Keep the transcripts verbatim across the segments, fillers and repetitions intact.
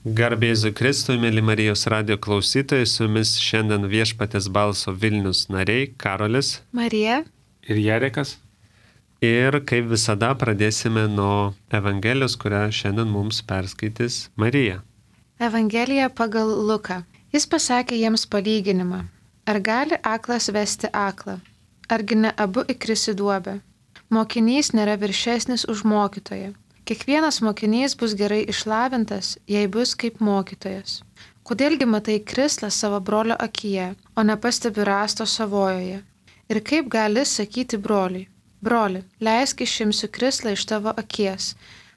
Garbėzu Kristui, mėly Marijos radio klausytojai, su jumis šiandien Viešpaties balso Vilnius nariai Karolis, Marija ir Jarekas. Ir kaip visada pradėsime nuo Evangelijos, kurią šiandien mums perskaitys Marija. Evangelija pagal Luką. Jis pasakė jiems palyginimą. Ar gali aklas vesti aklą? Argi ne abu įkris į duobę? Mokinys nėra viršesnis už mokytoją. Kiekvienas mokinys bus gerai išlavintas, jei bus kaip mokytojas. Kodėlgi matai krislą savo brolio akyje, o nepastebi rasto savojoje? Ir kaip gali sakyti broliui: broli, leisk išimsiu krislą iš tavo akies,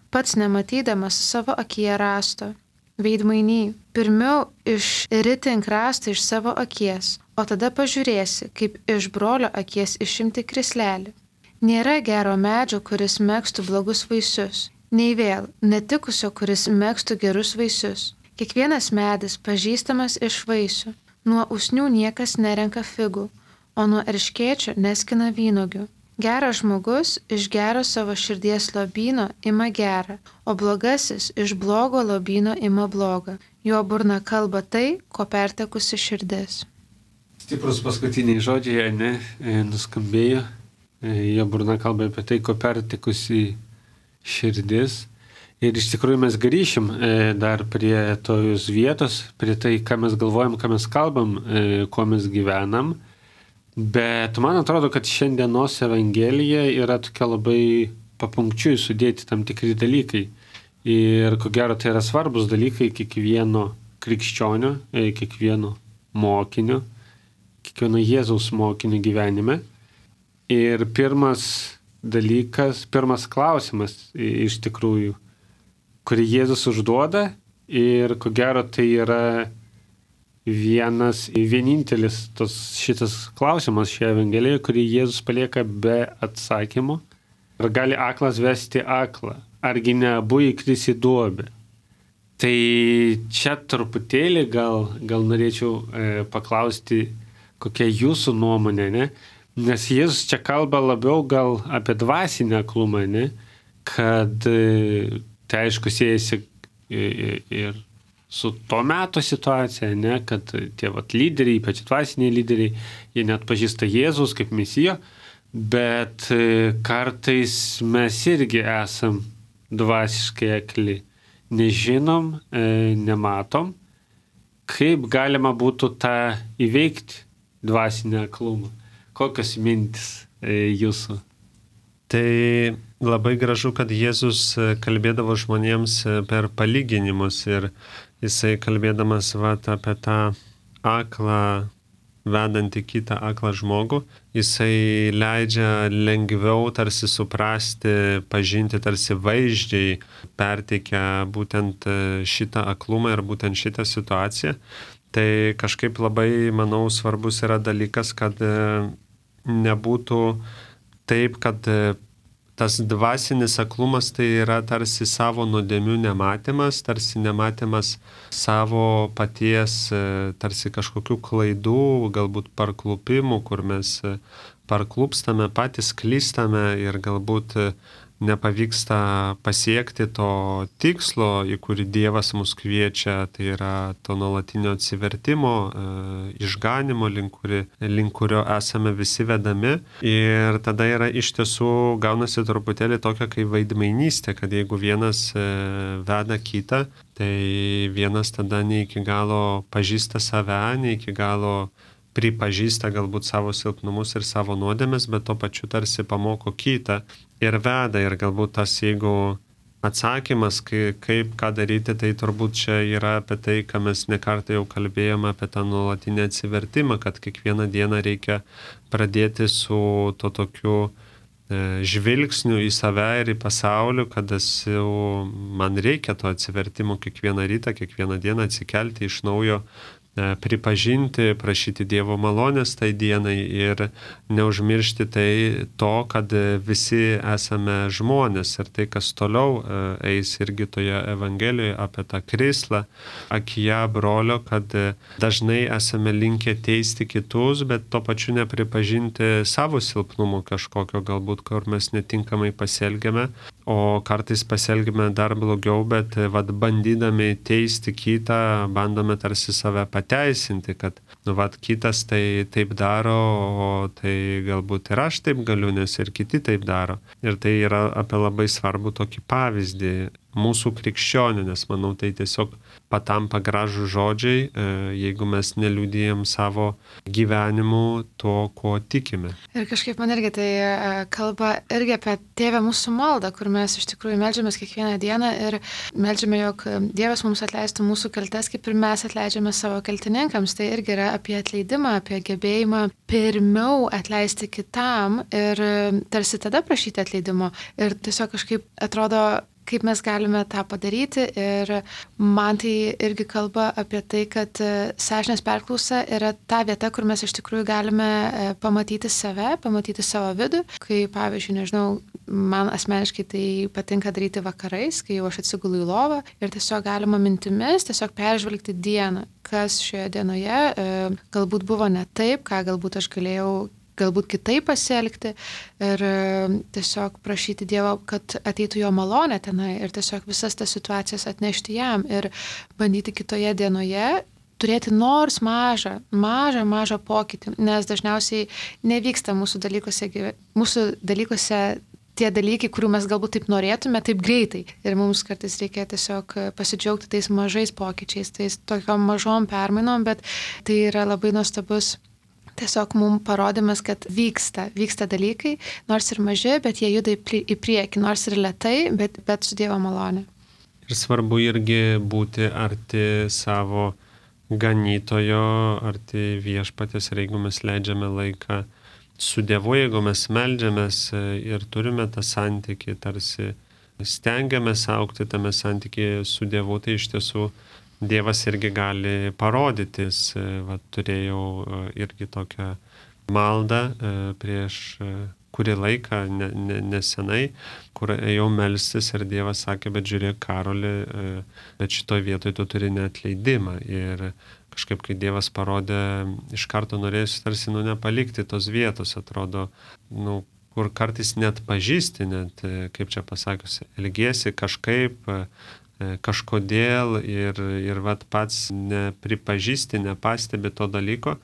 pats nematydamas savo akyje rasto. Veidmainy, pirmiau išritink rastą iš savo akies, o tada pažiūrėsi, kaip iš brolio akies išimti krislelį. Nėra gero medžio, kuris megztų blogus vaisius, nei vėl netikusio, kuris megztų gerus vaisius. Kiekvienas medis pažįstamas iš vaisių. Nuo usnių niekas nerenka figų, o nuo erškėčio neskina vynuogių. Geras žmogus iš gero savo širdies lobyno ima gerą, o blogasis iš blogo lobyno ima blogą. Jo burna kalba tai, ko pertekusi širdis. Stiprus paskutiniai žodžiai, ne, nuskambėjo. Jo burna kalba apie tai, ko pertekusi širdis. Ir iš tikrųjų mes grįšim dar prie tojos vietos, prie tai, ką mes galvojam, ką mes kalbam, kuo mes gyvenam. Bet man atrodo, kad šiandienos Evangelija yra tokia labai papunkčiui sudėti tam tikri dalykai. Ir ko gero tai yra svarbus dalykai kiekvieno krikščionio, kiekvieno mokinio, kiekvieno Jėzaus mokinio gyvenime. Ir pirmas dalykas, pirmas klausimas iš tikrųjų, kurį Jėzus užduoda, ir ko gero tai yra vienas, vienintelis tos, šitas klausimas šioje Evangelijoje, kurį Jėzus palieka be atsakymo. Ar gali aklas vesti aklą? Argi ne abu įkris į duobę? Tai čia truputėlį gal, gal norėčiau e, paklausti, kokia jūsų nuomonė, ne? Nes Jėzus čia kalba labiau gal apie dvasinę aklumą, ne? Kad e, tai aišku siejasi ir, ir su to meto situacija, ne? Kad tie vat lyderiai, ypač dvasiniai lyderiai, jie net pažįsta Jėzus kaip Mesijo, bet kartais mes irgi esam dvasiškai akli. Nežinom, nematom, kaip galima būtų tą įveikti dvasinę aklumą. Kokios mintis jūsų? Tai labai gražu, kad Jėzus kalbėdavo žmonėms per palyginimus ir jisai kalbėdamas vat, apie tą aklą, vedantį kitą aklą žmogų, jisai leidžia lengviau tarsi suprasti, pažinti tarsi vaizdžiai, perteikia būtent šitą aklumą ir būtent šitą situaciją. Tai kažkaip labai, manau, svarbus yra dalykas, kad nebūtų taip, kad tas dvasinis aklumas tai yra tarsi savo nuodėmių nematymas, tarsi nematymas savo paties, tarsi kažkokių klaidų, galbūt parklupimų, kur mes parklupstame, patys klystame ir galbūt nepavyksta pasiekti to tikslo, į kurį Dievas mus kviečia, tai yra to nuolatinio atsivertimo, išganimo, link, kuri, link kurio esame visi vedami. Ir tada yra iš tiesų gaunasi truputėlį tokia kaip veidmainystė, kad jeigu vienas veda kitą, tai vienas tada ne iki galo pažįsta save, ne iki galo pripažįsta galbūt savo silpnumus ir savo nuodėmes, bet to pačiu tarsi pamoko kitą ir veda. Ir galbūt tas, jeigu atsakymas, kaip, ką daryti, tai turbūt čia yra apie tai, ką mes nekartą jau kalbėjome, apie tą nuolatinį atsivertimą, kad kiekvieną dieną reikia pradėti su to tokiu e, žvilgsniu į save ir į pasaulį, kad esu, man reikia to atsivertimo kiekvieną rytą, kiekvieną dieną atsikelti iš naujo, pripažinti, prašyti Dievo malonės tai dienai ir neužmiršti tai to, kad visi esame žmonės ir tai, kas toliau eis irgi toje Evangelijoje apie tą krislą akyje brolio, kad dažnai esame linkę teisti kitus, bet to pačiu nepripažinti savo silpnumo kažkokio, galbūt, kur mes netinkamai pasielgiame, o kartais pasielgime dar blogiau, bet vat, bandydami teisti kitą, bandome tarsi save pateisinti, kad nu, vat, kitas tai taip daro, o tai galbūt ir aš taip galiu, nes ir kiti taip daro. Ir tai yra apie labai svarbų tokį pavyzdį mūsų krikščionių, nes manau tai tiesiog patampa gražų žodžiai, jeigu mes neliudijam savo gyvenimu to, ko tikime. Ir kažkaip man irgi tai kalba irgi apie Tėvę mūsų maldą, kur mes iš tikrųjų meldžiamės kiekvieną dieną ir meldžiame, jog Dievas mums atleistų mūsų kaltes, kaip ir mes atleidžiame savo kaltininkams. Tai irgi yra apie atleidimą, apie gebėjimą pirmiau atleisti kitam ir tarsi tada prašyti atleidimo. Ir tiesiog kažkaip atrodo, kaip mes galime tą padaryti ir man tai irgi kalba apie tai, kad sąžinės perklausa yra ta vieta, kur mes iš tikrųjų galime pamatyti save, pamatyti savo vidų, kai pavyzdžiui, nežinau, man asmeniškai tai patinka daryti vakarais, kai jau aš atsigulu į lovą ir tiesiog galima mintimis tiesiog peržvelgti dieną, kas šioje dienoje galbūt buvo ne taip, ką galbūt aš galėjau galbūt kitaip pasielgti ir tiesiog prašyti Dievo, kad ateitų jo malonė tenai ir tiesiog visas tas situacijas atnešti jam ir bandyti kitoje dienoje turėti nors mažą, mažą, mažą pokytį, nes dažniausiai nevyksta mūsų dalykuose, mūsų dalykuose tie dalykai, kurių mes galbūt taip norėtume, taip greitai. Ir mums kartais reikia tiesiog pasidžiaugti tais mažais pokyčiais, tais tokiom mažom permainom, bet tai yra labai nuostabus tiesiog mums parodymas, kad vyksta, vyksta dalykai, nors ir maži, bet jie juda į priekį, nors ir lėtai, bet, bet su Dievo malonė. Ir svarbu irgi būti arti savo ganytojo, arti viešpatės, ir jeigu mes leidžiame laiką su Dievu, jeigu mes meldžiamės ir turime tą santykį, tarsi stengiamės augti tame santykyje su Dievu, tai iš tiesų Dievas irgi gali parodytis. Va, turėjau irgi tokią maldą prieš kurį laiką, ne, ne, nesenai, kur ėjau melstis ir Dievas sakė, bet žiūrėk, Karoli, bet šitoj vietoj tu turi neatleidimą. Ir kažkaip, kai Dievas parodė, iš karto norėjusi tarsi nu, nepalikti tos vietos, atrodo, nu, kur kartais net pažįsti, net, kaip čia pasakius, elgiesi kažkaip, kažkodėl ir, ir vat pats nepripažįsti, nepastebi to dalyko,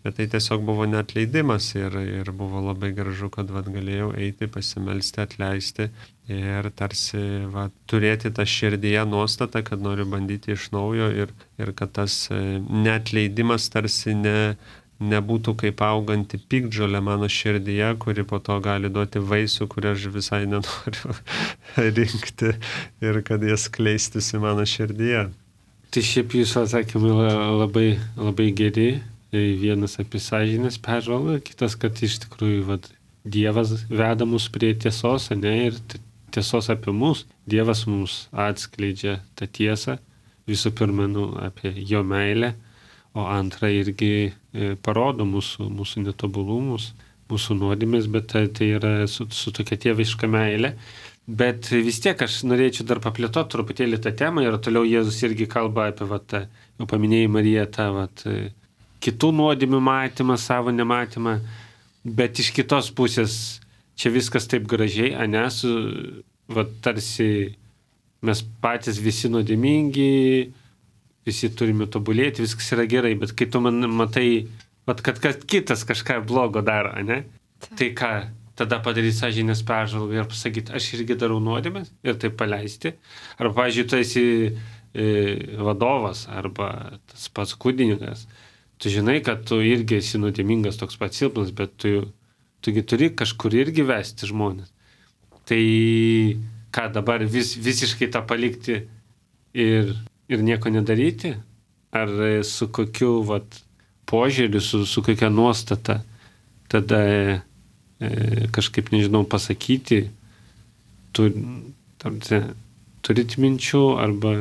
bet tai tiesiog buvo neatleidimas ir, ir buvo labai gražu, kad vat galėjau eiti, pasimelsti, atleisti ir tarsi vat, turėti tą širdyje nuostatą, kad noriu bandyti iš naujo ir, ir kad tas neatleidimas tarsi ne nebūtų kaip auganti piktžolė mano širdyje, kuri po to gali duoti vaisių, kurį aš visai nenoriu rinkti ir kad jas kleistųsi mano širdyje. Tai šiaip jūsų atsakymai labai, labai geri. Vienas apie sąžinės peržvalgą, kitas, kad iš tikrųjų vat, Dievas veda mus prie tiesos, ne, ir tiesos apie mus. Dievas mums atskleidžia tą tiesą, visų pirma, nu, apie jo meilę, o antra irgi parodo mūsų, mūsų netobulumus, mūsų nuodėmes, bet tai, tai yra su, su tokia tėviška meilė. Bet vis tiek aš norėčiau dar paplėtoti truputėlį tą temą ir toliau Jėzus irgi kalba apie, vat, jau paminėjai Mariją, tą vat, kitų nuodėmių matymą, savo nematymą, bet iš kitos pusės čia viskas taip gražiai, ane, su, vat, tarsi mes patys visi nuodėmingi, visi turime tobulėti, viskas yra gerai, bet kai tu man matai, vat, kad, kad kitas kažką blogo daro, ne? Tai ką, tada padaryti sąžinės peržvalgą ir pasakyti, aš irgi darau nuodėmes ir tai paleisti. Arba, pavyzdžiui, tu esi e, vadovas arba tas pats kūdininkas. Tu žinai, kad tu irgi esi nuodėmingas, toks pats silpnas, bet tu, tugi turi kažkur irgi vesti žmonės. Tai ką dabar vis, visiškai tą palikti ir ir nieko nedaryti? Ar su kokiu vat, požiūriu, su, su kokia nuostata tada e, kažkaip, nežinau, pasakyti, tu, tarsi, turit minčių arba...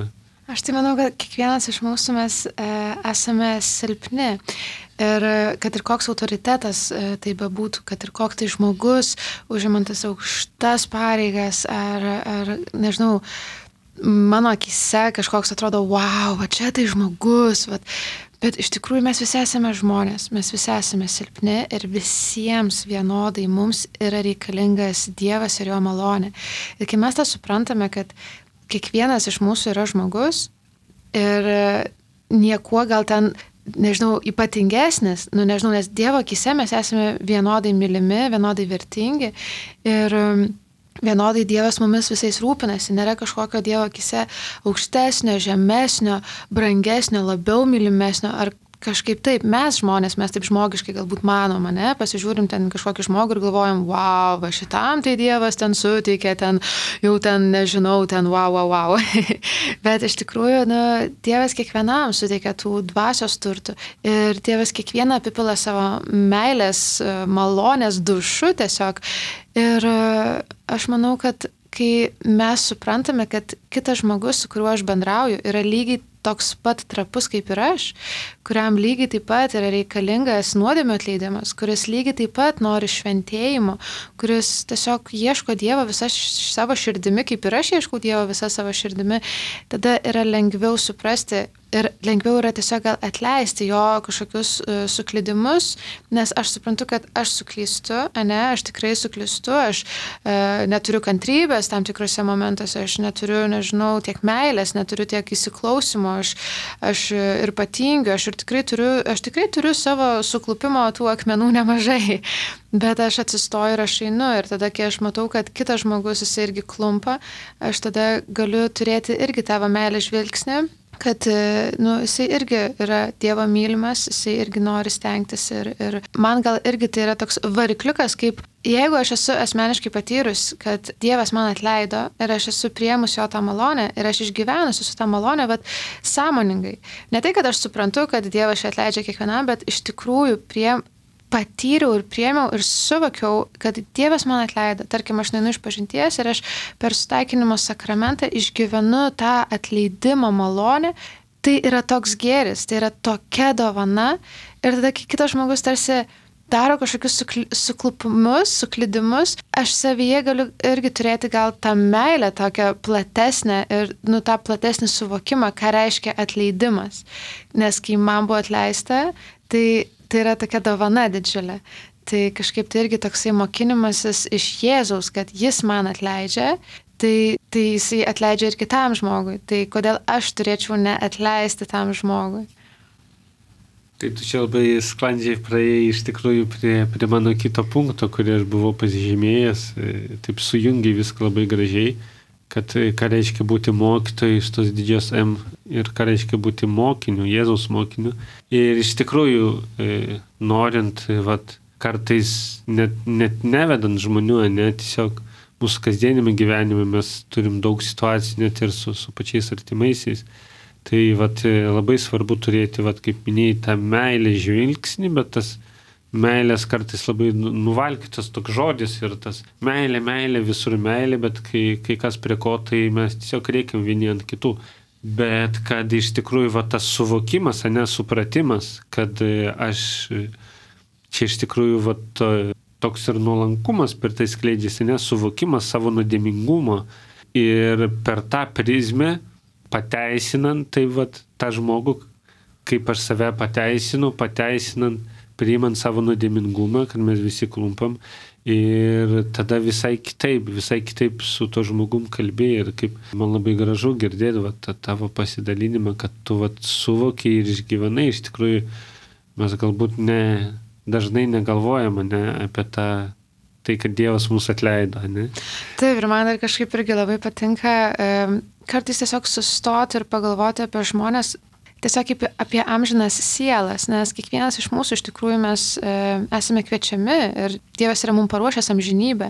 Aš tai manau, kad kiekvienas iš mūsų mes e, esame silpni ir kad ir koks autoritetas e, tai bebūtų, kad ir koks tai žmogus užimantis aukštas pareigas ar, ar nežinau, mano akise kažkoks atrodo, wow, va čia tai žmogus, va. Bet iš tikrųjų mes visi esame žmonės, mes visi esame silpni ir visiems vienodai mums yra reikalingas Dievas ir jo malonė. Ir kai mes tą suprantame, kad kiekvienas iš mūsų yra žmogus ir niekuo gal ten, nežinau, ypatingesnis, nu nežinau, nes Dievo akise mes esame vienodai mylimi, vienodai vertingi ir vienodai Dievas mumis visais rūpinasi, nėra kažkokio Dievo akise aukštesnio, žemesnio, brangesnio, labiau mylimesnio ar kažkaip taip. Mes žmonės, mes taip žmogiškai galbūt manom, ne, pasižiūrim ten kažkokį žmogų ir galvojam, wow, va šitam tai Dievas ten suteikė, ten jau ten nežinau, ten wow, wow, wow. Bet iš tikrųjų, nu, Dievas kiekvienam suteikia tų dvasios turtų ir Dievas kiekvieną apipila savo meilės, malonės dušu tiesiog. Ir aš manau, kad kai mes suprantame, kad kitas žmogus, su kuriuo aš bendrauju, yra lygiai toks pat trapus kaip ir aš, kuriam lygiai taip pat yra reikalingas nuodėmių atleidimas, kuris lygiai taip pat nori šventėjimo, kuris tiesiog ieško Dievo visą savo širdimi, kaip ir aš ieškau Dievo visą savo širdimi, tada yra lengviau suprasti ir lengviau yra tiesiog gal atleisti jo kažkokius uh, suklydimus, nes aš suprantu, kad aš suklystu, ane, aš tikrai suklystu, aš uh, neturiu kantrybės tam tikrose momentuose, aš neturiu, nežinau, tiek meilės, neturiu tiek įsiklausimo, aš, aš ir patingiu, aš ir tikrai turiu, aš tikrai turiu savo suklupimo tų akmenų nemažai, bet aš atsistoju ir aš einu ir tada, kai aš matau, kad kitas žmogus jis irgi klumpa, aš tada galiu turėti irgi tavo meilės žvilgsnį, kad nu, jisai irgi yra Dievo mylimas, jisai irgi nori stengtis ir, ir man gal irgi tai yra toks varikliukas, kaip jeigu aš esu asmeniškai patyrus, kad Dievas man atleido ir aš esu priėmus jo tą malonę ir aš išgyvenusi su tą malonę, bet sąmoningai. Ne tai, kad aš suprantu, kad Dievas čia atleidžia kiekvienam, bet iš tikrųjų prie patyriau ir priėmiau ir suvokiau, kad Dievas man atleido. Tarkim, aš neinu iš pažinties ir aš per sutaikinimo sakramentą išgyvenu tą atleidimo malonę. Tai yra toks gėris, tai yra tokia dovana. Ir tada, kai kitas žmogus tarsi daro kažkokius suklupimus, suklydimus, aš savyje galiu irgi turėti gal tą meilę tokią platesnę ir nu, tą platesnį suvokimą, ką reiškia atleidimas. Nes kai man buvo atleista, tai tai yra tokia dovana didžiulė. Tai kažkaip tai irgi toksai mokinimasis iš Jėzaus, kad jis man atleidžia, tai, tai jisai atleidžia ir kitam žmogui. Tai kodėl aš turėčiau neatleisti tam žmogui? Tai tu čia labai sklandžiai praėjai iš tikrųjų prie, prie mano kito punkto, kurį aš buvau pasižymėjęs, taip sujungiai viską labai gražiai, kad ką reiškia būti mokytojai iš tos didžios M ir ką reiškia būti mokiniu, Jėzaus mokiniu. Ir iš tikrųjų, e, norint, vat, kartais net, net nevedant žmonių, net tiesiog mūsų kasdienime gyvenime mes turim daug situacijų net ir su, su pačiais artimaisiais. Tai vat, labai svarbu turėti, vat, kaip minėjai, tą meilę žvilgsnį, bet tas meilės kartais labai nuvalkytas toks žodis ir tas meilė, meilė, visur meilė, bet kai, kai kas prie ko, tai mes tiesiog reikiam vieni ant kitų. Bet kad iš tikrųjų va, tas suvokimas, ne supratimas, kad aš čia iš tikrųjų va, to, toks ir nuolankumas per tai skleidžiasi, ne suvokimas savo nuodėmingumo ir per tą prizmę pateisinant tai va, tą žmogų, kaip aš save pateisinu, pateisinant priimant savo nuodėmingumą, kad mes visi klumpam ir tada visai kitaip, visai kitaip su to žmogum kalbėjai ir kaip man labai gražu girdėti va, tą tavo pasidalinimą, kad tu va, suvokiai ir išgyvenai, iš tikrųjų mes galbūt ne, dažnai negalvojame ne, apie tą, tai, kad Dievas mūsų atleido. Ne? Taip, ir man dar kažkaip irgi labai patinka kartais tiesiog sustoti ir pagalvoti apie žmonės, tiesiog apie, apie amžinas sielas, nes kiekvienas iš mūsų iš tikrųjų mes e, esame kviečiami ir Dievas yra mums paruošęs amžinybę.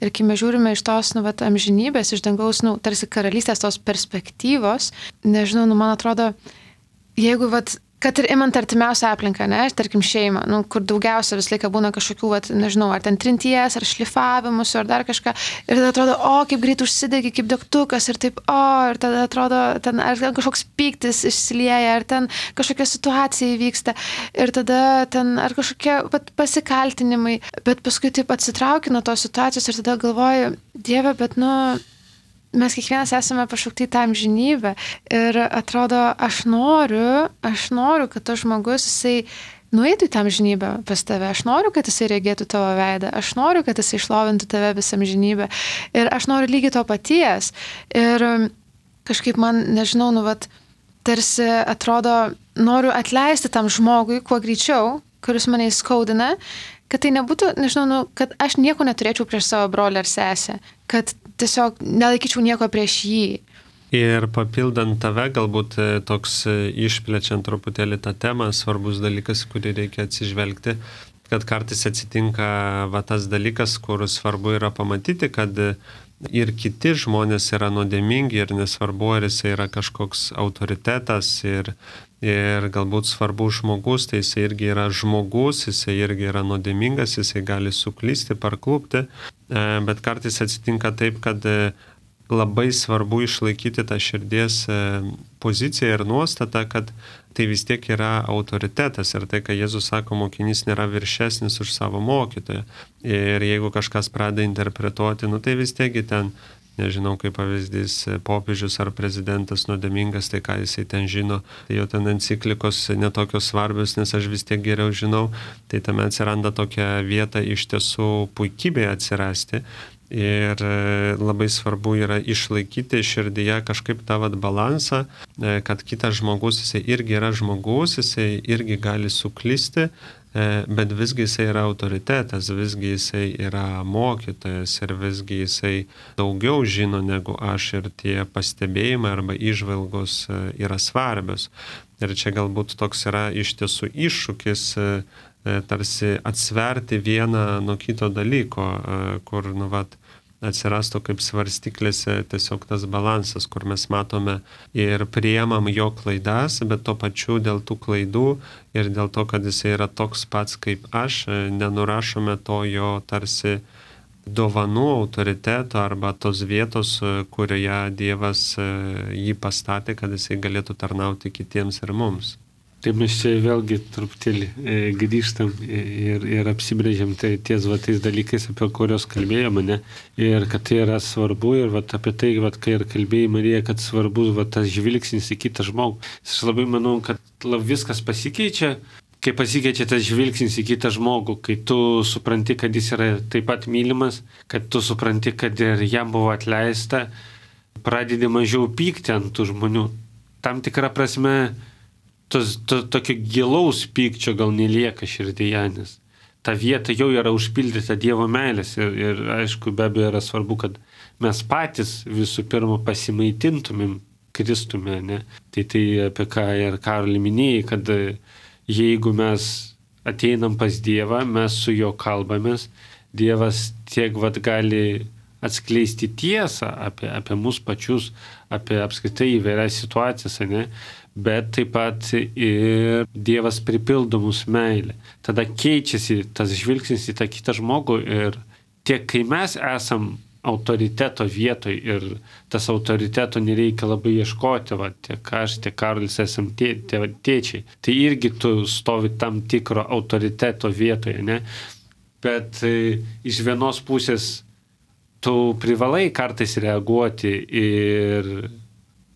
Ir kai mes žiūrime iš tos nu, vat, amžinybės, iš dangaus, nu, tarsi karalystės tos perspektyvos, nežinau, nu, man atrodo, jeigu vat, kad ir imant artimiausią aplinką, ne, tarkim šeimą, nu, kur daugiausia visą laiką būna kažkokių, vat, nežinau, ar ten trinties, ar šlifavimus, ar dar kažką. Ir tada atrodo, o, kaip greit užsidegi, kaip degtukas, ir taip, o, ir tada atrodo, ten, ar ten kažkoks pyktis išsilieja, ar ten kažkokia situacija įvyksta, ir tada ten, ar kažkokie vat, pasikaltinimai. Bet paskui taip atsitrauki nuo tos situacijos ir tada galvoju, Dieve, bet, nu, mes kiekvienas esame pašaukti į tą amžinybę ir atrodo, aš noriu, aš noriu, kad tas žmogus, jisai nueitų į tą amžinybę pas tave, aš noriu, kad jisai regėtų tavo veidą, aš noriu, kad jisai išlovintų tave visą amžinybę ir aš noriu lygiai to paties. Ir kažkaip man, nežinau, nu, vat, tarsi atrodo, noriu atleisti tam žmogui kuo greičiau, kuris mane įskaudina, kad tai nebūtų, nežinau, nu, kad aš nieko neturėčiau prieš savo brolį ar sesę, kad tiesiog nelaikyčiau nieko prieš jį. Ir papildant tave, galbūt toks išplečiant truputėlį tą temą, svarbus dalykas, kurį reikia atsižvelgti, kad kartais atsitinka va, tas dalykas, kur svarbu yra pamatyti, kad ir kiti žmonės yra nuodėmingi ir nesvarbu, ar jis yra kažkoks autoritetas ir, ir galbūt svarbus žmogus, tai jis irgi yra žmogus, jis irgi yra nuodėmingas, jis gali suklysti, parklupti, bet kartais atsitinka taip, kad labai svarbu išlaikyti tą širdies poziciją ir nuostatą, kad tai vis tiek yra autoritetas ir tai, ką Jėzus sako, mokinys nėra viršesnis už savo mokytoją. Ir jeigu kažkas pradeda interpretuoti, nu tai vis tiek ten, nežinau, kaip pavyzdys, popiežius ar prezidentas nuodėmingas, tai ką jisai ten žino, tai jo ten enciklikos netokios svarbios, nes aš vis tiek geriau žinau, tai tame atsiranda tokia vieta iš tiesų puikybėje atsirasti. Ir labai svarbu yra išlaikyti širdyje kažkaip tą vat balansą, kad kitas žmogus, jisai irgi yra žmogus, jisai irgi gali suklysti, bet visgi jisai yra autoritetas, visgi jisai yra mokytojas ir visgi jisai daugiau žino negu aš ir tie pastebėjimai arba įžvalgos yra svarbios. Ir čia galbūt toks yra iš tiesų iššūkis tarsi atsverti vieną nuo kito dalyko, kur, nu, vat, atsirastų kaip svarstyklėse tiesiog tas balansas, kur mes matome ir priemam jo klaidas, bet tuo pačiu dėl tų klaidų ir dėl to, kad jis yra toks pats kaip aš, nenurašome to jo tarsi dovanų, autoriteto arba tos vietos, kurioje Dievas jį pastatė, kad jisai galėtų tarnauti kitiems ir mums. Taip mes čia vėlgi truputėlį e, grįžtam ir, ir apsibrėžiam tai ties va, tais dalykais, apie kurios kalbėjome, ne? Ir kad tai yra svarbu ir va, apie tai, va, kai ir kalbėjai Marija, kad svarbus va, tas žvilgsnis į kitą žmogų. Aš labai manau, kad viskas pasikeičia, kai pasikeičia tas žvilgsnis į kitą žmogų, kai tu supranti, kad jis yra taip pat mylimas, kad tu supranti, kad ir jam buvo atleista, pradedi mažiau pykti ant tų žmonių. Tam tikrą prasme, tos, to, tokio gilaus pykčio gal nelieka širdyje, nes ta vieta jau yra užpildyta Dievo meilės ir, ir aišku, be abejo yra svarbu, kad mes patys visų pirma pasimaitintumėm Kristume, ne? Tai tai apie ką ir Karoli minėjai, kad jeigu mes ateinam pas Dievą, mes su juo kalbamės, Dievas tiek vat gali atskleisti tiesą apie, apie mus pačius, apie apskritai įvairias situacijas, ne? Bet taip pat ir Dievas pripildo mūsų meilę. Tada keičiasi tas žvilgsnis į tą kitą žmogų ir tiek, kai mes esam autoriteto vietoj ir tas autoriteto nereikia labai ieškoti, va, tiek aš, tiek Karolis esam tė, tė, tėčiai, tai irgi tu stovi tam tikro autoriteto vietoje, ne? Bet e, iš vienos pusės tu privalai kartais reaguoti ir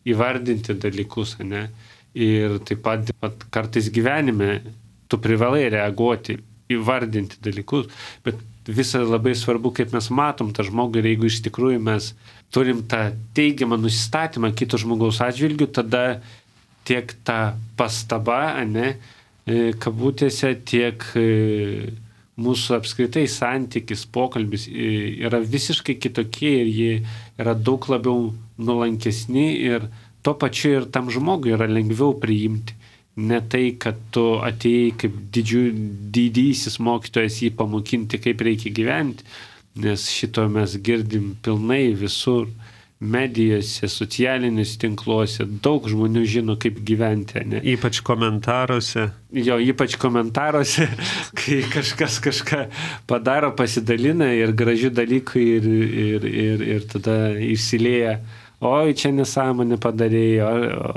įvardinti dalykus, ne? Ir taip pat, taip pat kartais gyvenime tu privalai reaguoti, įvardinti dalykus, bet visą labai svarbu, kaip mes matom tą žmogų ir jeigu iš tikrųjų mes turim tą teigiamą nusistatymą kito žmogaus atžvilgių, tada tiek ta pastaba, ne, kabutėse, tiek mūsų apskritai santykis, pokalbis yra visiškai kitokie ir jie yra daug labiau nuolankesni ir tuo pačiu ir tam žmogui yra lengviau priimti. Ne tai, kad tu atėjai kaip didžių, didysis mokytojas jį pamokinti, kaip reikia gyventi, nes šito mes girdim pilnai visur, medijose, socialiniuose tinkluose, daug žmonių žino, kaip gyventi. Ne? Ypač komentaruose. Jo, ypač komentaruose, kai kažkas kažką padaro, pasidalina ir gražių dalykų ir, ir, ir, ir tada išsilieja. Oi, čia nesąmonė padarėjo, o,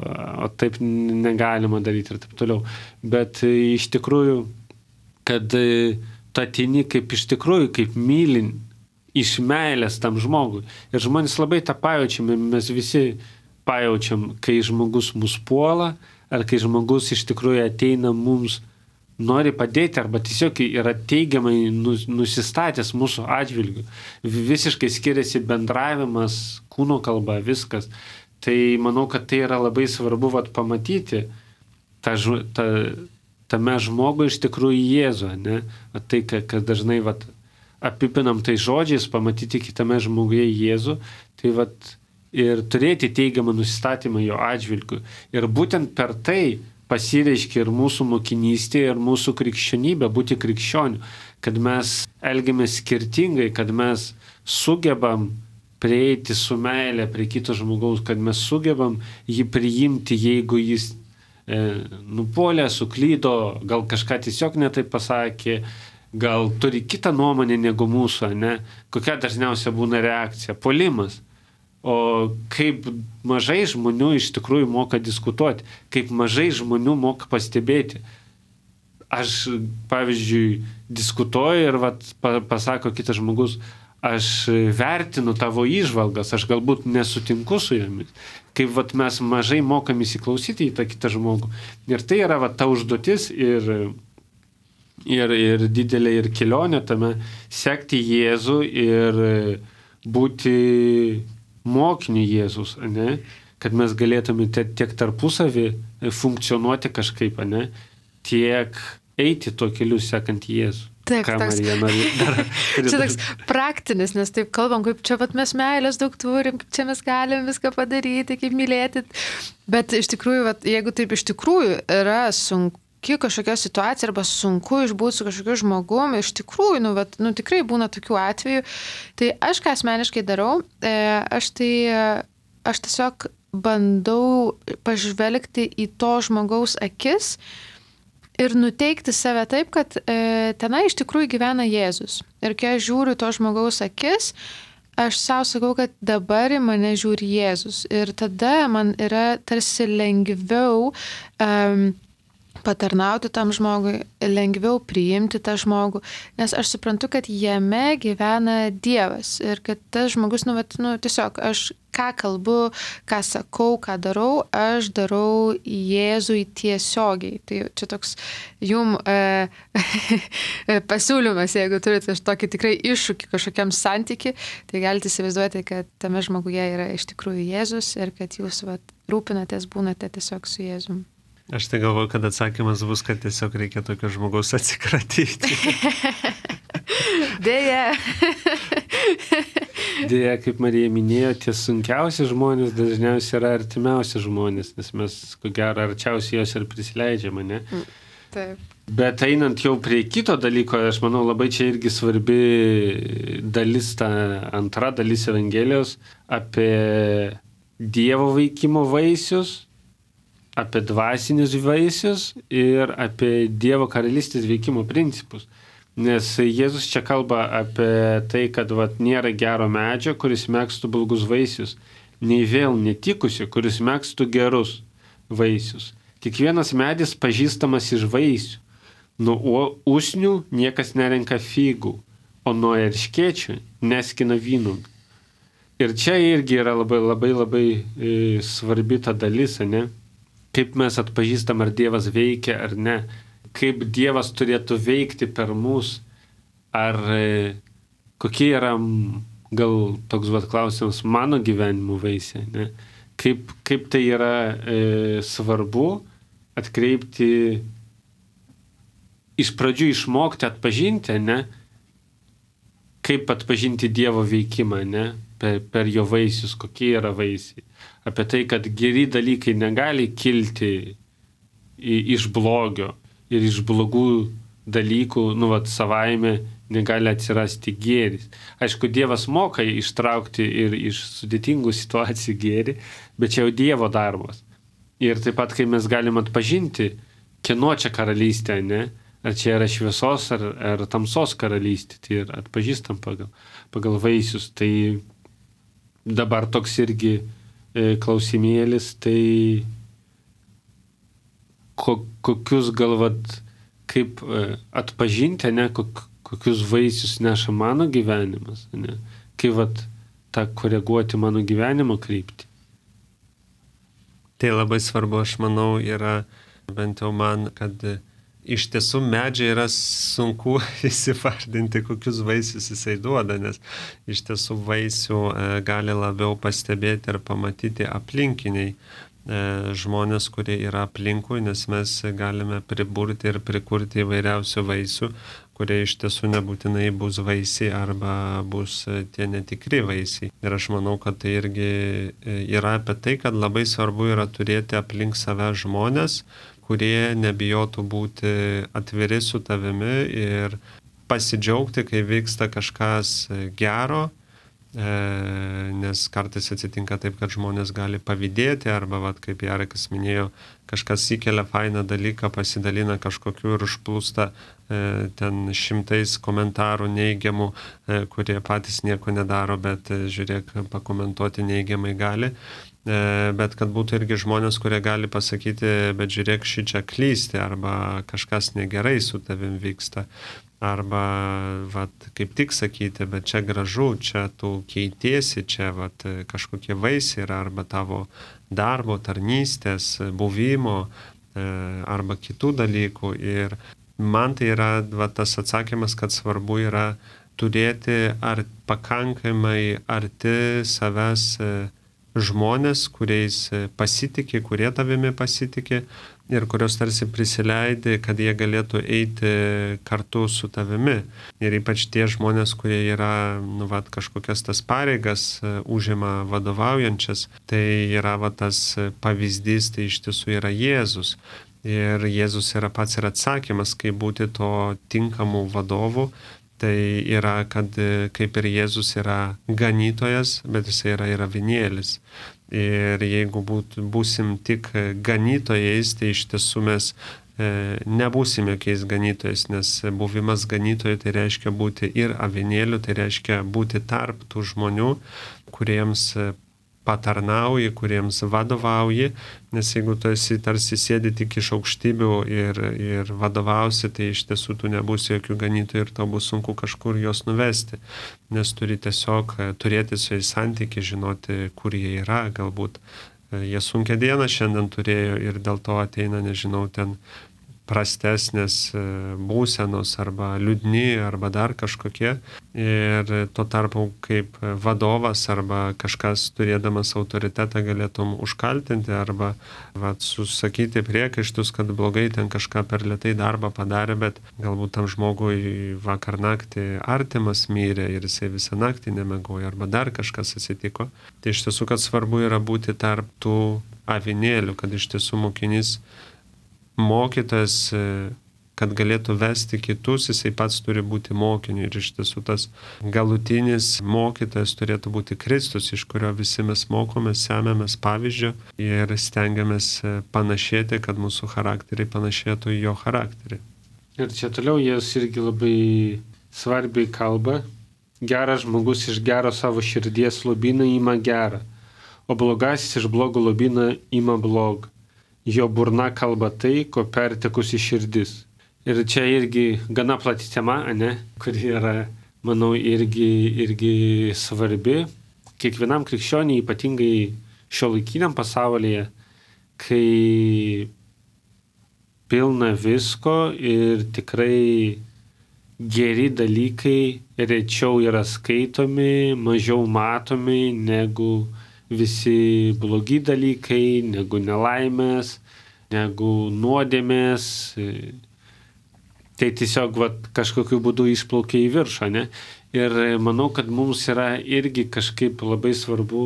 o taip negalima daryti ir taip toliau. Bet iš tikrųjų, kad tu ateini kaip iš tikrųjų, kaip mylin iš meilės tam žmogui. Ir žmonės labai tą pajaučiame, mes visi pajaučiam, kai žmogus mus puola, ar kai žmogus iš tikrųjų ateina mums, nori padėti, arba tiesiog yra teigiamai nusistatęs mūsų atžvilgiu. Visiškai skiriasi bendravimas, kūno kalba, viskas. Tai manau, kad tai yra labai svarbu vat, pamatyti ta, ta, tame žmogui iš tikrųjų Jėzų, ne? Vat tai, kad dažnai vat, apipinam tai žodžiais, pamatyti kitame žmoguje Jėzų, tai vat, ir turėti teigiamą nusistatymą jo atžvilgiu. Ir būtent per tai pasireiškia ir mūsų mokinystė, ir mūsų krikščionybė, būti krikščioniu, kad mes elgiamės skirtingai, kad mes sugebam prieiti su meilė prie kito žmogaus, kad mes sugebam jį priimti, jeigu jis e, nupolė, suklydo, gal kažką tiesiog netaip pasakė, gal turi kitą nuomonę negu mūsų, ne? Kokia dažniausia būna reakcija? Puolimas. O kaip mažai žmonių iš tikrųjų moka diskutuoti, kaip mažai žmonių moka pastebėti. Aš, pavyzdžiui, diskutuoju ir vat, pasako kitas žmogus, aš vertinu tavo įžvalgas, aš galbūt nesutinku su jomis. Kaip vat, mes mažai mokam įsiklausyti į tą kitą žmogų. Ir tai yra vat, ta užduotis ir, ir, ir didelė ir kelionė tame sekti Jėzų ir būti mokiniu Jėzus, ne? Kad mes galėtume tiek tarpusavį funkcionuoti kažkaip, ne? Tiek eiti tuo keliu sekant Jėzų. Taip, toks, dar, čia toks praktinis, nes taip kalbam, kaip čia pat mes meilės daug turim, kaip čia mes galim viską padaryti, kaip mylėti. Bet iš tikrųjų, vat, jeigu taip iš tikrųjų yra sunku, kažkokia situacija arba sunku išbūti su kažkokiu žmogumi, iš tikrųjų, nu, vat, nu, tikrai būna tokių atvejų. Tai aš ką asmeniškai darau, e, aš tai, aš tiesiog bandau pažvelgti į to žmogaus akis ir nuteikti save taip, kad e, tenai iš tikrųjų gyvena Jėzus. Ir kai aš žiūriu to žmogaus akis, aš savo sakau, kad dabar į mane žiūri Jėzus. Ir tada man yra tarsi lengviau um, patarnauti tam žmogui, lengviau priimti tą žmogų, nes aš suprantu, kad jame gyvena Dievas ir kad tas žmogus, nu, vat, nu tiesiog aš ką kalbu, ką sakau, ką darau, aš darau Jėzui tiesiogiai. Tai čia toks jum e, pasiūlymas, jeigu turite tokį tikrai iššūkį kažkokiam santyki, tai galite įsivaizduoti, kad tame žmoguje yra iš tikrųjų Jėzus ir kad jūs vat, rūpinatės, būnate tiesiog su Jėzum. Aš tai galvoju, kad atsakymas bus, kad tiesiog reikia tokio žmogaus atsikratyti. Deja. Deja, kaip Marija minėjo, tie sunkiausi žmonės dažniausiai yra artimiausi žmonės, nes mes, ko gero, arčiausiai jos ir prisileidžiame, ne? Taip. Bet einant jau prie kito dalyko, aš manau, labai čia irgi svarbi dalis, ta antra dalis Evangelijos apie Dievo veikimo vaisius, apie dvasinius vaisius ir apie Dievo karalystės veikimo principus. Nes Jėzus čia kalba apie tai, kad vat, nėra gero medžio, kuris megztų blogus vaisius, nei vėl netikusi, kuris megztų gerus vaisius. Kiekvienas medis pažįstamas iš vaisių. Nuo usnių niekas nerenka figų, o nuo erškėčių neskina vynuogių. Ir čia irgi yra labai labai labai e, svarbi ta dalis, ne? Kaip mes atpažįstam, ar Dievas veikia ar ne, kaip Dievas turėtų veikti per mus, ar e, kokie yra, gal toks vat klausimas, mano gyvenimo vaisiai, ne? Kaip, kaip tai yra e, svarbu atkreipti, iš pradžių išmokti atpažinti, ne? Kaip atpažinti Dievo veikimą, ne? Per, per jo vaisius, kokie yra vaisiai. Apie tai, kad geri dalykai negali kilti iš blogio ir iš blogų dalykų, nu, vat, savaime negali atsirasti gėris. Aišku, Dievas moka ištraukti ir iš sudėtingų situacijų gėrį, bet čia jau Dievo darbas. Ir taip pat, kai mes galim atpažinti, kieno čia karalystė, ne? Ar čia yra šviesos, ar, ar tamsos karalystė, tai ir atpažįstam pagal, pagal vaisius. Tai dabar toks irgi e, klausimėlis, tai ko, kokius galvat, kaip e, atpažinti, ne, kok, kokius vaisius neša mano gyvenimas, ne? Kaip vat tą koreguoti mano gyvenimo kryptį. Tai labai svarbu, aš manau, yra bent jau man, kad iš tiesų medžiai yra sunku įsivardinti, kokius vaisius jisai duoda, nes iš tiesų vaisių gali labiau pastebėti ir pamatyti aplinkiniai žmonės, kurie yra aplinkui, nes mes galime priburti ir prikurti įvairiausių vaisių, kurie iš tiesų nebūtinai bus vaisiai arba bus tie netikri vaisiai. Ir aš manau, kad tai irgi yra apie tai, kad labai svarbu yra turėti aplink save žmonės, kurie nebijotų būti atviri su tavimi ir pasidžiaugti, kai vyksta kažkas gero, nes kartais atsitinka taip, kad žmonės gali pavydėti arba, vat, kaip Jarekas minėjo, kažkas įkelia fainą dalyką, pasidalina kažkokiu ir užplūsta ten šimtais komentarų neigiamų, kurie patys nieko nedaro, bet žiūrėk, pakomentuoti neigiamai gali. Bet kad būtų irgi žmonės, kurie gali pasakyti, bet žiūrėk, šį čia klysti arba kažkas negerai su tavim vyksta. Arba, vat, kaip tik sakyti, bet čia gražu, čia tu keitiesi, čia vat, kažkokie vaisiai yra, arba tavo darbo, tarnystės, buvimo, arba kitų dalykų. Ir man tai yra vat, tas atsakymas, kad svarbu yra turėti ar pakankamai arti savęs žmonės, kuriais pasitikė, kurie tavimi pasitikė ir kurios tarsi prisileidė, kad jie galėtų eiti kartu su tavimi. Ir ypač tie žmonės, kurie yra, nu, vat, kažkokias tas pareigas užima vadovaujančias, tai yra vat, tas pavyzdys, tai iš tiesų yra Jėzus. Ir Jėzus yra pats ir atsakymas, kaip būti to tinkamų vadovų. Tai yra, kad kaip ir Jėzus yra ganytojas, bet jis yra ir avinėlis. Ir jeigu būt, būsim tik ganytojais, tai iš tiesų mes e, nebūsim jokiais ganytojais, nes buvimas ganytojai tai reiškia būti ir avinėliu, tai reiškia būti tarp tų žmonių, kuriems patarnauji, kuriems vadovauji, nes jeigu tu esi tarsi sėdi tik iš aukštybių ir, ir vadovausi, tai iš tiesų tu nebūsi jokių ganytojų ir tau bus sunku kažkur juos nuvesti, nes turi tiesiog turėti su jais santykį, žinoti, kur jie yra, galbūt jie sunkią dieną šiandien turėjo ir dėl to ateina, nežinau, ten prastesnės būsenos arba liūdni arba dar kažkokie. Ir tuo tarpu kaip vadovas arba kažkas turėdamas autoritetą galėtum užkaltinti arba vat, susakyti priekaištus, kad blogai ten kažką per lėtai darbą padarė, bet galbūt tam žmogui vakar naktį artimas mirė ir jisai visą naktį nemiegojo arba dar kažkas atsitiko. Tai iš tiesų, kad svarbu yra būti tarp tų avinėlių, kad iš tiesų mokinys mokytas, kad galėtų vesti kitus, jisai pats turi būti mokiniu ir iš tiesų tas galutinis mokytojas turėtų būti Kristus, iš kurio visi mes mokomės, semiamės pavyzdžio ir stengiamės panašėti, kad mūsų charakteriai panašėtų į jo charakterį. Ir čia toliau jis irgi labai svarbiai kalba. Geras žmogus iš gero savo širdies lobyną ima gerą, o blogasis iš blogo lobyną ima blogą. Jo burna kalba tai, ko pertekusi širdis. Ir čia irgi gana plati tema, ne, kuri yra, manau, irgi, irgi svarbi. Kiekvienam krikščioniui, ypatingai šiuolaikiniam pasaulyje, kai pilna visko ir tikrai geri dalykai rečiau yra skaitomi, mažiau matomi negu visi blogi dalykai, negu nelaimės, negu nuodėmės. Tai tiesiog vat, kažkokiu būdu išplaukia į viršą, ne? Ir manau, kad mums yra irgi kažkaip labai svarbu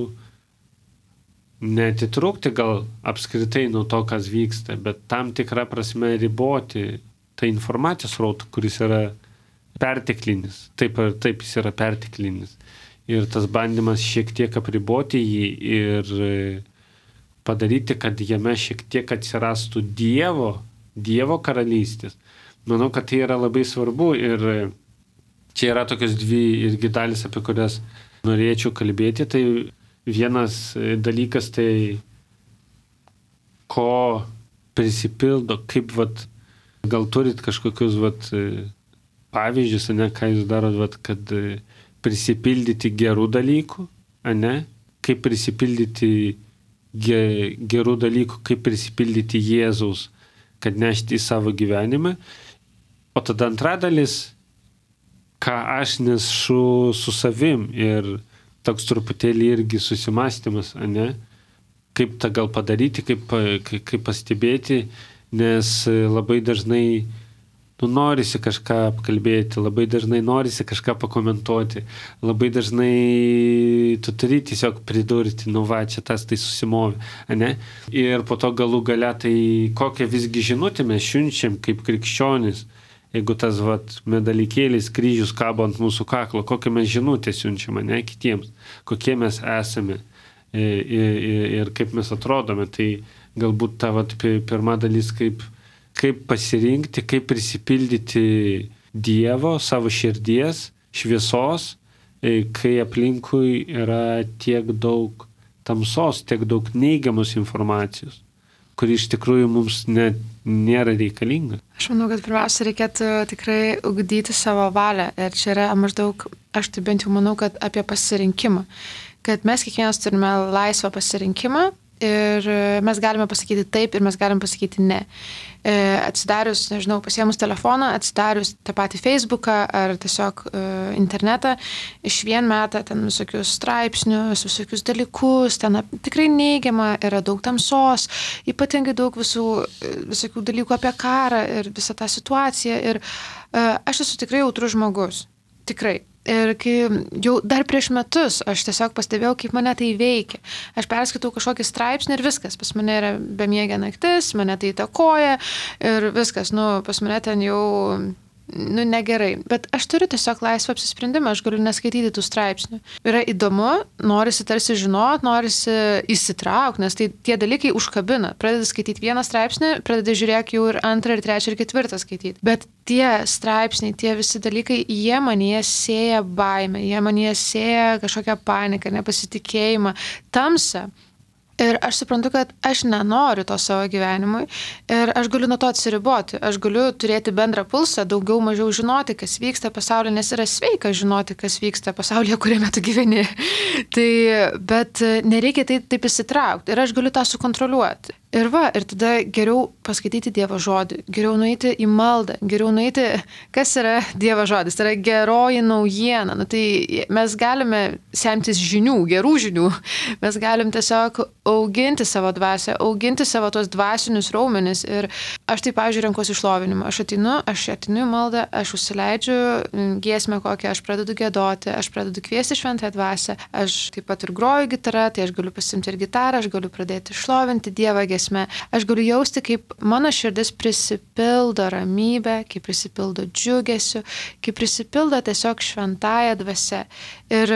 neatitrūkti gal apskritai nuo to, kas vyksta, bet tam tikrą prasme riboti tą informacijos srautą, kuris yra perteklinis. Taip ar taip jis yra perteklinis. Ir tas bandymas šiek tiek apriboti jį ir padaryti, kad jame šiek tiek atsirastų Dievo, Dievo karalystės. Manau, kad tai yra labai svarbu ir čia yra tokios dvi irgi dalis, apie kurias norėčiau kalbėti. Tai vienas dalykas, tai ko prisipildo, kaip vat, gal turit kažkokius vat, pavyzdžius, ne, ką jūs darot, vat, kad prisipildyti gerų dalykų, ne, kaip prisipildyti ge, gerų dalykų, kaip prisipildyti Jėzaus, kad nešti į savo gyvenimą. O tada antra dalis, ką aš nešu su savim ir toks truputėlį irgi susimastymas, ne? Kaip tą gal padaryti, kaip, kaip, kaip pastebėti, nes labai dažnai nu, norisi kažką apkalbėti, labai dažnai norisi kažką pakomentuoti, labai dažnai tu turi tiesiog pridurti, nu va, čia tas tai susimovė, ne? Ir po to galų gale tai kokią visgi žinutę mes siunčiam kaip krikščionis. Jeigu tas vat, medalikėlis, kryžius kabo ant mūsų kaklo, kokią mes žinutę siunčiame, ne, kitiems, kokie mes esame ir, ir, ir kaip mes atrodome. Tai galbūt ta vat, pirma dalis, kaip, kaip pasirinkti, kaip prisipildyti Dievo, savo širdies, šviesos, kai aplinkui yra tiek daug tamsos, tiek daug neigiamos informacijos, kuri iš tikrųjų mums net nėra reikalinga. Aš manau, kad pirmiausia reikėtų tikrai ugdyti savo valią. Ir čia yra maždaug, aš tai bent jau manau, kad apie pasirinkimą. Kad mes kiekvienas turime laisvą pasirinkimą ir mes galime pasakyti taip ir mes galime pasakyti ne. Atsidarius, nežinau, pasiėmus telefoną, atsidarius tą patį Facebooką ar tiesiog uh, internetą, iš vien metą ten visokius straipsnius, visokius dalykus, ten tikrai neigiama, yra daug tamsos, ypatingai daug visų, visokių dalykų apie karą ir visą tą situaciją. Ir uh, aš esu tikrai jautrus žmogus, tikrai. Ir kai jau dar prieš metus aš tiesiog pastebėjau, kaip mane tai veikia. Aš perskaitau kažkokį straipsnį ir viskas. Pas mane yra bemiegė naktis, mane tai įtakoja ir viskas. Nu, pas mane ten jau nu, negerai. Bet aš turiu tiesiog laisvą apsisprendimą, aš galiu neskaityti tų straipsnių. Yra įdomu, norisi tarsi žinot, norisi įsitraukti, nes tai tie dalykai užkabina. Pradedi skaityti vieną straipsnį, pradedi žiūrėk jau ir antrą, ir trečią, ir ketvirtą skaityti. Bet tie straipsniai, tie visi dalykai, jie manyje sėja baimę, jie manyje sėja kažkokią paniką, nepasitikėjimą, tamsą. Ir aš suprantu, kad aš nenoriu to savo gyvenimui ir aš galiu nuo to atsiriboti. Aš galiu turėti bendrą pulsą, daugiau mažiau žinoti, kas vyksta pasaulyje, nes yra sveika žinoti, kas vyksta pasaulyje, kuriame tu gyveni. Tai, bet nereikia tai taip įsitraukti ir aš galiu tą sukontroliuoti. Ir va, ir tada geriau paskaityti Dievo žodį, geriau nueiti į maldą, geriau nueiti, kas yra Dievo žodis, tai yra geroji naujiena. Nu, tai mes galime semtis žinių, gerų žinių, mes galim tiesiog auginti savo dvasią, auginti savo tos dvasinius raumenis. Ir aš tai, pavyzdžiui, renkuosi šlovinimą. Aš atinu, aš atinu į maldą, aš užsileidžiu giesmę kokią, aš pradedu giedoti, aš pradedu kviesti šventąją dvasią, aš taip pat ir groju gitarą, tai aš galiu pasimti ir gitarą, aš galiu pradėti šlovinti Dievą giesmę. Aš galiu jausti, kaip mano širdis prisipildo ramybę, kaip prisipildo džiugesiu, kaip prisipildo tiesiog šventąją dvasią. Ir,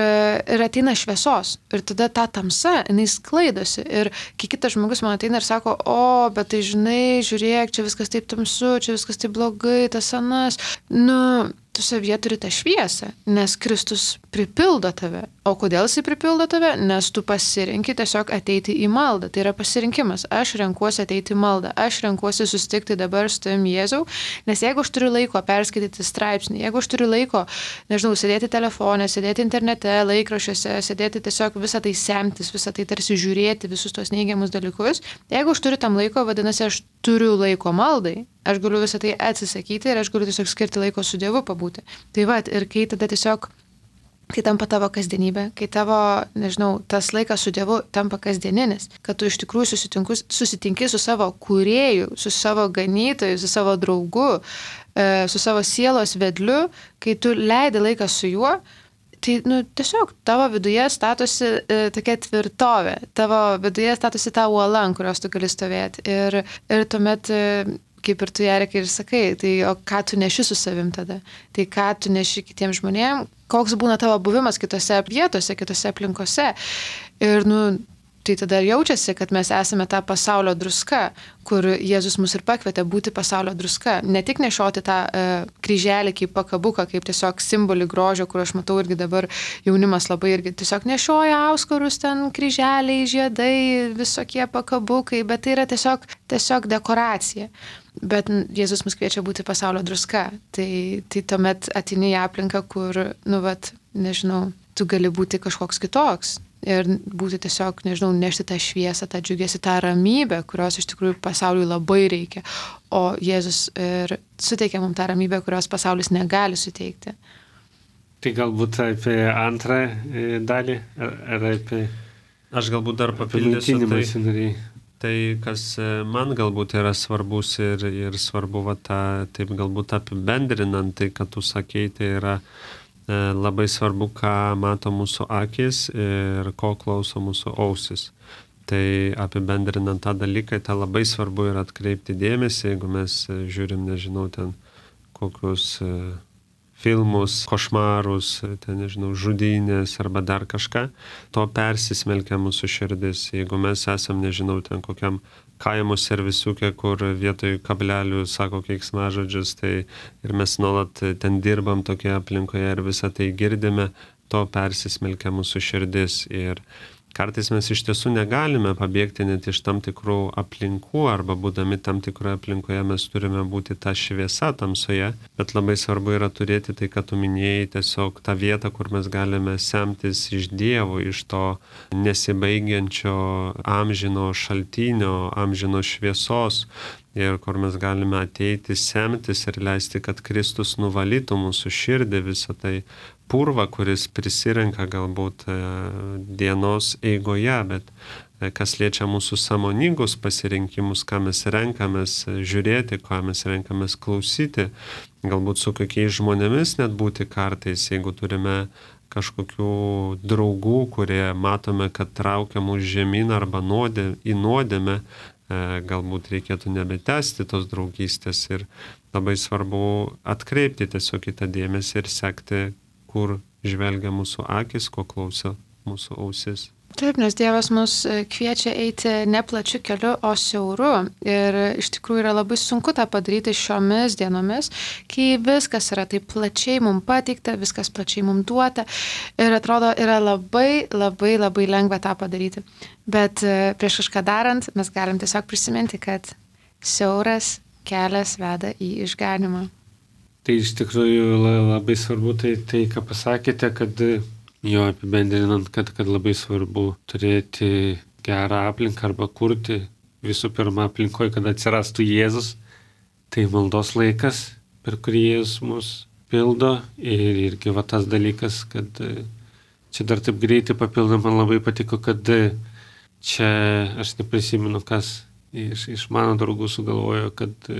ir ateina šviesos. Ir tada ta tamsa, jinai sklaidosi. Ir kai kitas žmogus man ateina ir sako, o, bet tai žinai, žiūrėk, čia viskas taip tamsu, čia viskas taip blogai, tas anas. Nu, tu savyje turi tą šviesą, nes Kristus pripildo tave. O kodėl jisai pripildo tave? Nes tu pasirinki tiesiog ateiti į maldą. Tai yra pasirinkimas. Aš renkuosi ateiti į maldą. Aš renkuosi susitikti dabar su tavim Jėzau, nes jeigu aš turiu laiko perskaityti straipsnį, jeigu aš turiu laiko, nežinau, sėdėti telefone, sėdėti internete, laikraščiuose, sėdėti tiesiog visą tai semtis, visą tai tarsi žiūrėti, visus tos neigiamus dalykus, jeigu aš turiu tam laiko, vadinasi, aš turiu laiko maldai, aš galiu visą tai atsisakyti ir aš galiu tiesiog skirti laiko su Dievu pabūti. Tai va, ir kai tada tiesiog kai tampa tavo kasdienybė, kai tavo, nežinau, tas laikas su Dievu tampa kasdieninis, kad tu iš tikrųjų susitinki su savo kūrėju, su savo ganytoju, su savo draugu, su savo sielos vedliu, kai tu leidi laiką su juo, tai, nu, tiesiog tavo viduje statosi e, tokia tvirtovė, tavo viduje statosi ta uola, ant kurios tu gali stovėti. Ir, ir tuomet, e, kaip ir tu, Jarikai, ir sakai, tai o ką tu neši su savim tada? Tai ką tu neši kitiems žmonėms? Koks būna tavo buvimas kitose vietose, kitose aplinkose? Ir, nu, Tai tada jaučiasi, kad mes esame ta pasaulio druska, kur Jėzus mus ir pakvietė būti pasaulio druska. Ne tik nešioti tą e, kryželį kaip pakabuką, kaip tiesiog simbolį grožio, kur aš matau irgi dabar jaunimas labai irgi tiesiog nešioja auskarus, ten kryželiai, žiedai, visokie pakabukai, bet tai yra tiesiog, tiesiog dekoracija. Bet Jėzus mus kviečia būti pasaulio druska. Tai, tai tuomet ateini į aplinką, kur, nu vat, nežinau, tu gali būti kažkoks kitoks. Ir būti tiesiog, nežinau, nešti tą šviesą, tą džiugesį, tą ramybę, kurios iš tikrųjų pasauliui labai reikia. O Jėzus ir suteikia mums tą ramybę, kurios pasaulis negali suteikti. Tai galbūt apie antrą dalį, ar, ar apie... Aš galbūt dar papildysiu tai, tai, kas man galbūt yra svarbus ir, ir svarbu, va, tą, taip galbūt apibendrinant, tai, kad tu sakei, tai yra labai svarbu, ką mato mūsų akis ir ko klauso mūsų ausis. Tai apibendrinant tą dalyką, tai labai svarbu yra atkreipti dėmesį, jeigu mes žiūrim, nežinau, ten kokius filmus, košmarus, ten, nežinau, žudynės arba dar kažką, to persismelkia mūsų širdis. Jeigu mes esam, nežinau, ten kokiam kaimo servisiukė, kur vietoj kablelių sako keiksmažodžius, tai ir mes nuolat ten dirbam tokioje aplinkoje ir visą tai girdime, to persismelkia mūsų širdis. Ir kartais mes iš tiesų negalime pabėgti net iš tam tikrų aplinkų, arba būdami tam tikroje aplinkoje mes turime būti ta šviesa tamsoje, bet labai svarbu yra turėti tai, kad tu minėjai, tiesiog tą vietą, kur mes galime semtis iš Dievo, iš to nesibaigiančio amžino šaltinio, amžino šviesos, ir kur mes galime ateiti, semtis ir leisti, kad Kristus nuvalytų mūsų širdį, visą tai purvą, kuris prisirenka galbūt dienos eigoje, bet kas liečia mūsų sąmoningus pasirinkimus, ką mes renkamės žiūrėti, ką mes renkamės klausyti, galbūt su kokiais žmonėmis net būti kartais, jeigu turime kažkokių draugų, kurie matome, kad traukia mūsų žemyn arba nuodė, į nuodėmę, galbūt reikėtų nebetęsti tos draugystės ir labai svarbu atkreipti tiesiog į tą dėmesį ir sekti, kur žvelgia mūsų akis, ko klauso mūsų ausis. Taip, nes Dievas mus kviečia eiti ne plačiu keliu, o siauru. Ir iš tikrųjų yra labai sunku tą padaryti šiomis dienomis, kai viskas yra taip plačiai mums pateikta, viskas plačiai mums duota. Ir atrodo, yra labai, labai, labai lengva tą padaryti. Bet prieš kažką darant, mes galim tiesiog prisiminti, kad siauras kelias veda į išganymą. Tai iš tikrųjų labai svarbu tai, tai ką pasakėte, kad jo apibendrinant, kad, kad labai svarbu turėti gerą aplinką arba kurti visų pirma aplinkoje, kad atsirastų Jėzus. Tai maldos laikas, per kurį Jėzus mus pildo ir irgi va tas dalykas, kad čia dar taip greitai papildom, man labai patiko, kad čia aš neprisimenu, kas iš, iš mano draugų sugalvojo, kad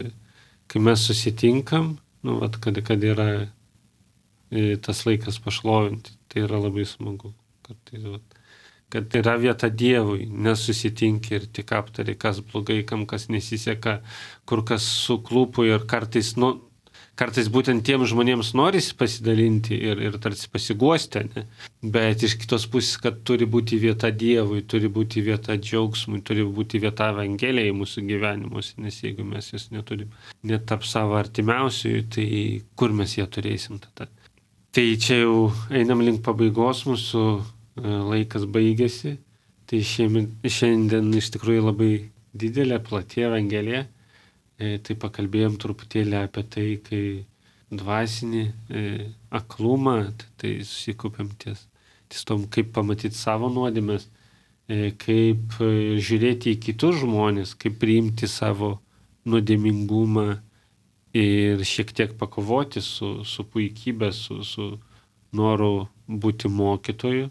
kai mes susitinkam, nu, vat, kad, kad yra tas laikas pašlovinti, tai yra labai smagu. Kad, tai, vat, kad yra vieta Dievui, nesusitinki ir tik aptari, kas blogai, kam kas nesiseka, kur kas suklūpo ir kartais, nu, kartais būtent tiem žmonėms norisi pasidalinti ir, ir tarsi pasiguosti, ne? Bet iš kitos pusės, kad turi būti vieta Dievui, turi būti vieta džiaugsmui, turi būti vieta Evangelijai mūsų gyvenimuose, nes jeigu mes jas neturim net tarp savo artimiausiųjų, tai kur mes ją turėsim tada? Tai čia jau einam link pabaigos, mūsų laikas baigėsi, tai šiandien, šiandien iš tikrųjų labai didelė, plati Evangelija. Tai pakalbėjom truputėlį apie tai, kai dvasinį e, aklumą, tai susikaupiam ties, ties tom, kaip pamatyti savo nuodėmes, e, kaip e, žiūrėti į kitus žmonės, kaip priimti savo nuodėmingumą ir šiek tiek pakovoti su, su puikybė, su, su noru būti mokytoju,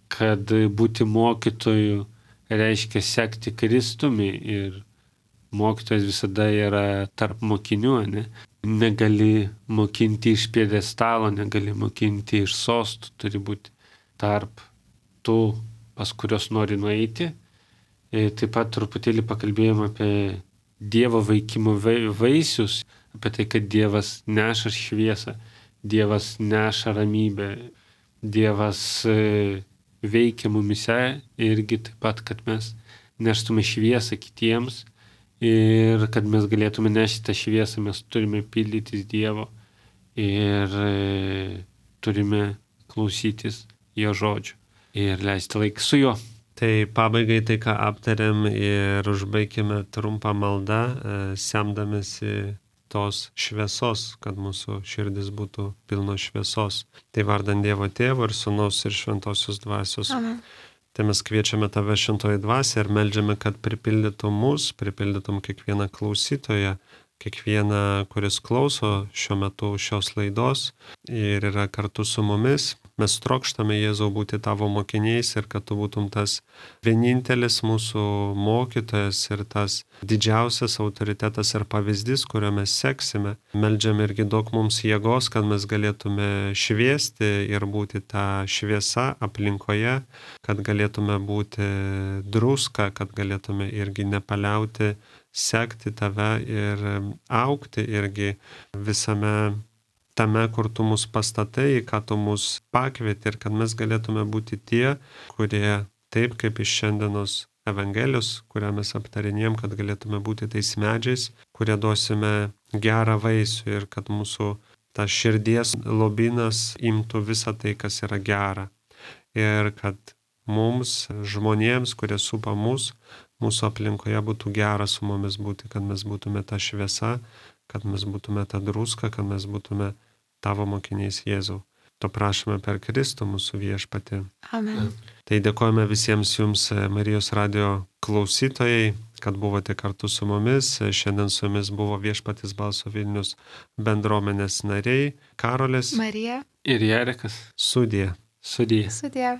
kad būti mokytoju reiškia sekti Kristumi ir mokytojas visada yra tarp mokinių, ne? Negali mokinti iš pjedestalo, negali mokinti iš sostų, turi būti tarp tų, pas kurios nori nueiti. Ir taip pat truputėlį pakalbėjom apie Dievo veikimo vaisius, apie tai, kad Dievas neša šviesą, Dievas neša ramybę, Dievas veikia mumise irgi taip pat, kad mes neštume šviesą kitiems ir kad mes galėtume nešti tą šviesą, mes turime pildytis Dievo ir e, turime klausytis jo žodžių ir leisti laiką su juo. Tai pabaigai tai, ką aptarėm ir užbaigime trumpą maldą, semdamėsi tos šviesos, kad mūsų širdis būtų pilno šviesos. Tai vardant Dievo Tėvo ir Sūnaus ir Šventosios Dvasios. Amen. Tai mes kviečiame Tave, Šventoji Dvasia, ir meldžiame, kad pripildytum mus, pripildytum kiekvieną klausytoją, kiekvieną, kuris klauso šiuo metu šios laidos ir yra kartu su mumis. Mes trokštame, Jėzau, būti Tavo mokiniais ir kad Tu būtum tas vienintelis mūsų mokytojas ir tas didžiausias autoritetas ir pavyzdys, kurio mes seksime. Meldžiame irgi daug mums jėgos, kad mes galėtume šviesti ir būti tą šviesą aplinkoje, kad galėtume būti druska, kad galėtume irgi nepaliauti sekti Tave ir augti irgi visame tame, kur Tu mus pastatai, ką Tu mus pakvieti ir kad mes galėtume būti tie, kurie taip kaip iš šiandienos Evangelijos, kurią mes aptarinėjom, kad galėtume būti tais medžiais, kurie duosime gerą vaisių ir kad mūsų ta širdies lobynas imtų visą tai, kas yra gera. Ir kad mums, žmonėms, kurie supa mus, mūsų aplinkoje būtų gera su mumis būti, kad mes būtume ta šviesa, kad mes būtume ta druska, kad mes būtume Tavo mokiniais, Jėzau. To prašome per Kristų mūsų viešpatį. Amen. Tai dėkojame visiems jums, Marijos radio klausytojai, kad buvote kartu su mumis. Šiandien su jumis buvo Viešpatis Balso Vilnius bendruomenės nariai Karolės Marija. Ir Jarekas. Sudie. Sudie. Sudie.